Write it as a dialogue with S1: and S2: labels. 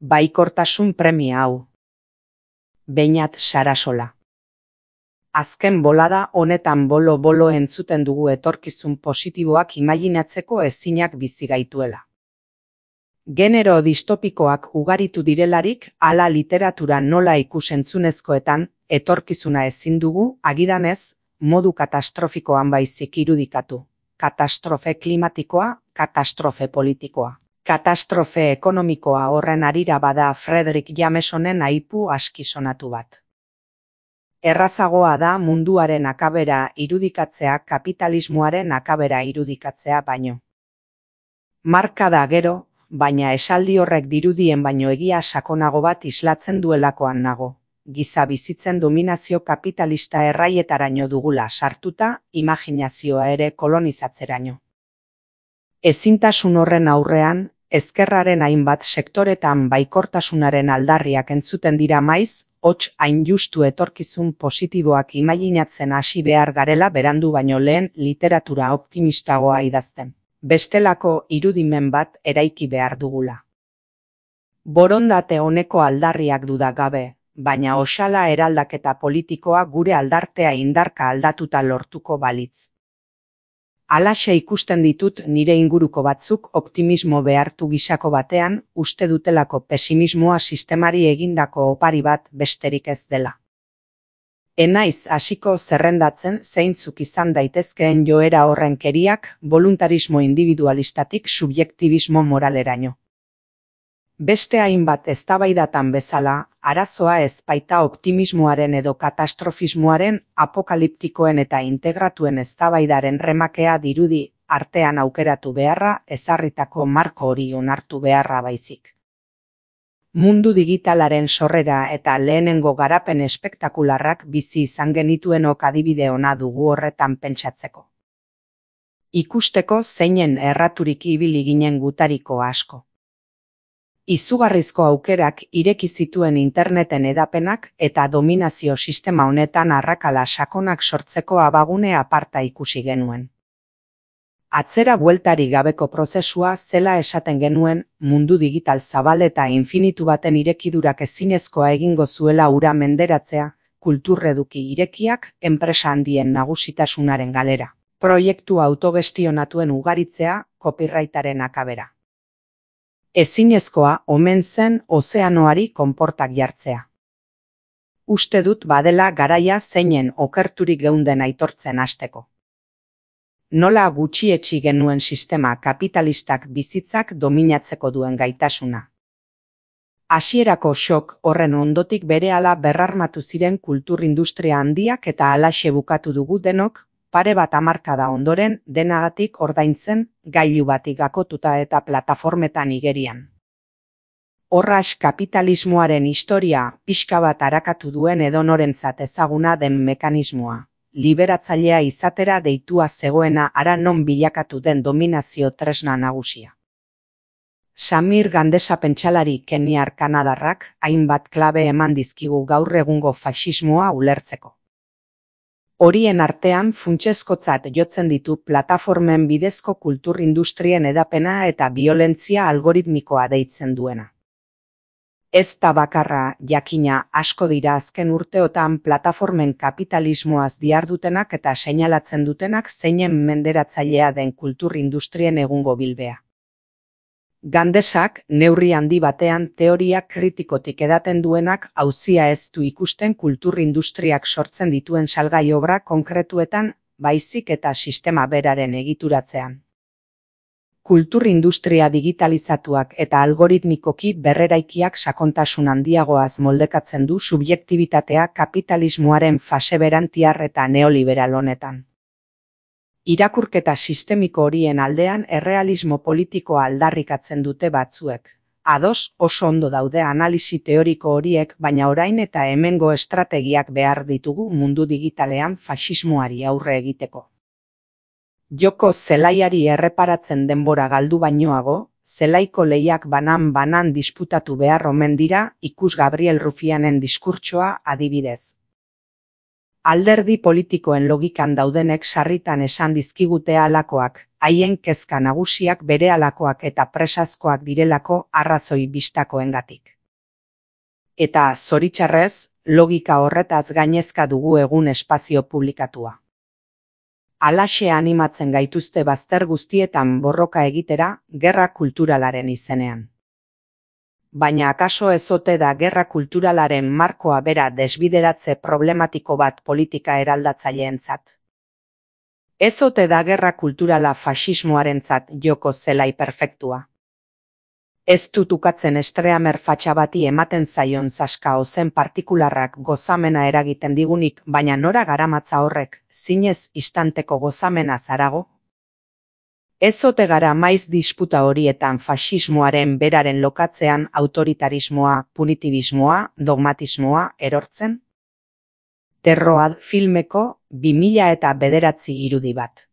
S1: Baikortasun premia hau. Beñat Sarasola. Azken bolada honetan bolo-bolo entzuten dugu etorkizun positiboak imaginatzeko ezinak bizi gaituela. Genero distopikoak ugaritu direlarik, hala literatura nola ikusentzunezkoetan, etorkizuna ezin dugu, agidanez, modu katastrofikoan baizik irudikatu. Katastrofe klimatikoa, katastrofe politikoa. Katastrofe ekonomikoa horren harira bada Frederick Jamesonen aipu askisonatu bat. Errazagoa da munduaren akabera irudikatzea kapitalismoaren akabera irudikatzea baino. Marka da gero, baina esaldi horrek dirudien baino egia sakonago bat islatzen duelakoan nago. Giza bizitzen dominazio kapitalista erraietaraino dugula sartuta, imaginazioa ere kolonizatzeraino. Ezintasun horren aurrean, ezkerraren hainbat sektoretan baikortasunaren aldarriak entzuten dira maiz, hots hain justu etorkizun positiboak imaginatzen hasi behar garela berandu baino lehen literatura optimistagoa idazten. Bestelako irudimen bat eraiki behar dugula. Borondate honeko aldarriak duda gabe, baina oxala eraldaketa politikoa gure aldartea indarka aldatuta lortuko balitz. Halaxe ikusten ditut nire inguruko batzuk optimismo behartu gisako batean, uste dutelako pesimismoa sistemari egindako opari bat besterik ez dela. Enaiz hasiko zerrendatzen zeintzuk izan daitezkeen joera horren keriak, voluntarismo individualistatik subjektibismo moraleraino. Beste hainbat eztabaidatan bezala, arazoa ez baita optimismoaren edo katastrofismoaren, apokaliptikoen eta integratuen eztabaidaren remakea dirudi artean aukeratu beharra, ezarritako marko hori onartu beharra baizik. Mundu digitalaren sorrera eta lehenengo garapen espektakularrak bizi izan genituenok adibide ona dugu horretan pentsatzeko. Ikusteko zeinen erraturik ibili ginen gutariko asko. Izugarrizko aukerak ireki zituen interneten edapenak eta dominazio sistema honetan arrakala sakonak sortzeko abagune aparta ikusi genuen. Atzera bueltari gabeko prozesua zela esaten genuen, mundu digital zabal eta infinitu baten irekidurak ezinezkoa egingo zuela hura menderatzea, kulturreduki irekiak, enpresa handien nagusitasunaren galera, proiektu autogestionatuen ugaritzea, copyrightaren akabera. Ezinezkoa omen zen ozeanoari konportak jartzea. Uste dut badela garaia zeinen okerturik geunden aitortzen hasteko. Nola gutxietsi genuen sistema kapitalistak bizitzak dominatzeko duen gaitasuna. Hasierako shock horren ondotik berehala berrarmatu ziren kulturindustria handiak eta halaxe bukatu dugu denok, pare bat hamarkada ondoren denagatik ordaintzen, gailu batik gakotuta eta plataformetan igerian. Horras kapitalismoaren historia pixka bat arakatu duen edonorentzat ezaguna den mekanismoa. Liberatzailea izatera deitua zegoena hara non bilakatu den dominazio tresna nagusia. Samir Gandesa pentsalari keniar kanadarrak hainbat klabe eman dizkigu gaur egungo faxismoa ulertzeko. Horien artean funtsezkotzat jotzen ditu plataformen bidezko kulturindustrien edapena eta biolentzia algoritmikoa deitzen duena. Ez da bakarra, jakina, asko dira azken urteotan plataformen kapitalismoaz dihardutenak eta seinalatzen dutenak zeinen menderatzailea den kulturindustrien egungo bilbea. Gandesak, neurri handi batean teoria kritikotik edaten duenak auzia ez du ikusten kulturindustriak sortzen dituen salgai obra konkretuetan, baizik eta sistema beraren egituratzean. Kulturindustria digitalizatuak eta algoritmikoki berreraikiak sakontasun handiagoaz moldekatzen du subjektibitatea kapitalismoaren fase berantiar eta neoliberal honetan. Irakurketa sistemiko horien aldean errealismo politikoa aldarrikatzen dute batzuek. Ados oso ondo daude analisi teoriko horiek, baina orain eta hemengo estrategiak behar ditugu mundu digitalean faxismoari aurre egiteko. Joko zelaiari erreparatzen denbora galdu bainoago, zelaiko lehiak banan disputatu behar omen dira, ikus Gabriel Rufianen diskurtsoa adibidez. Alderdi politikoen logikan daudenek sarritan esan dizkigute halakoak, haien kezka nagusiak berehalakoak eta presazkoak direlako arrazoi bistakoengatik. Eta, zoritxarrez, logika horretaz gainezka dugu egun espazio publikatua. Halaxe animatzen gaituzte bazter guztietan borroka egitera, gerra kulturalaren izenean. Baina akaso ez ote da gerra kulturalaren markoa bera desbideratze problematiko bat politika eraldatzaileentzat? Ez ote da gerra kulturala faxismoarentzat joko zelai perfektua? Ez dut ukatzen estreamer fatxa bati ematen zaion zaska ozen partikularrak gozamena eragiten digunik, baina nora garamatza horrek, zinez istanteko gozamena zarago? Ez ote gara maiz disputa horietan faxismoaren beraren lokatzean autoritarismoa, punitibismoa, dogmatismoa erortzen? Terroad filmeko 2009 irudi bat.